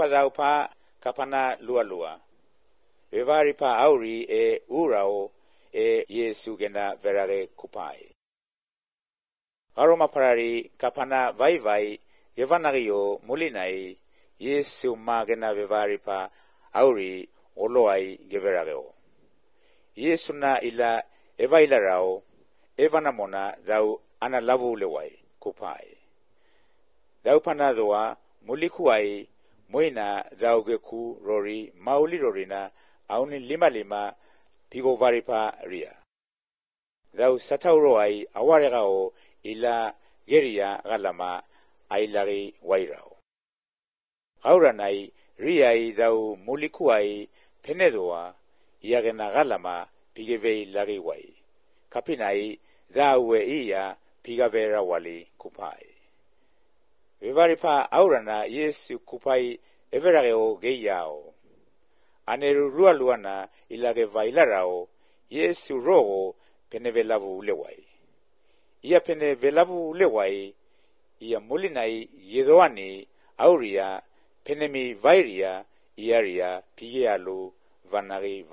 daupa kapana lua. Vevari pa auri e urao e Yesu gena verage kupai. Aroma parari kapana vai evanagio mulinai Yesu magena vevari pa auri oloai geverageo. Yesu na ila evailarao evanamona dau ana lavu lewai kupai. Dau panadoa mulikuai moina dau geku rori mauli rorina auni lima pigo varipa ria. Dau satauroai awaregao ila geria galama ailagi wairao. Gauranai riai dau mulikuai penedoa iagena galama pigevei lagi wai. Kapinai daue ia pigavera wali kupai. Vevaripa aurana Yesu kupai everageo geiao. Aneru rualuana ilage vailarao Yesu rogo penevelavu lewai. Ia penevelavu lewai ia mulinai yedoani auria penemi vairia iaria pigealu vanagi.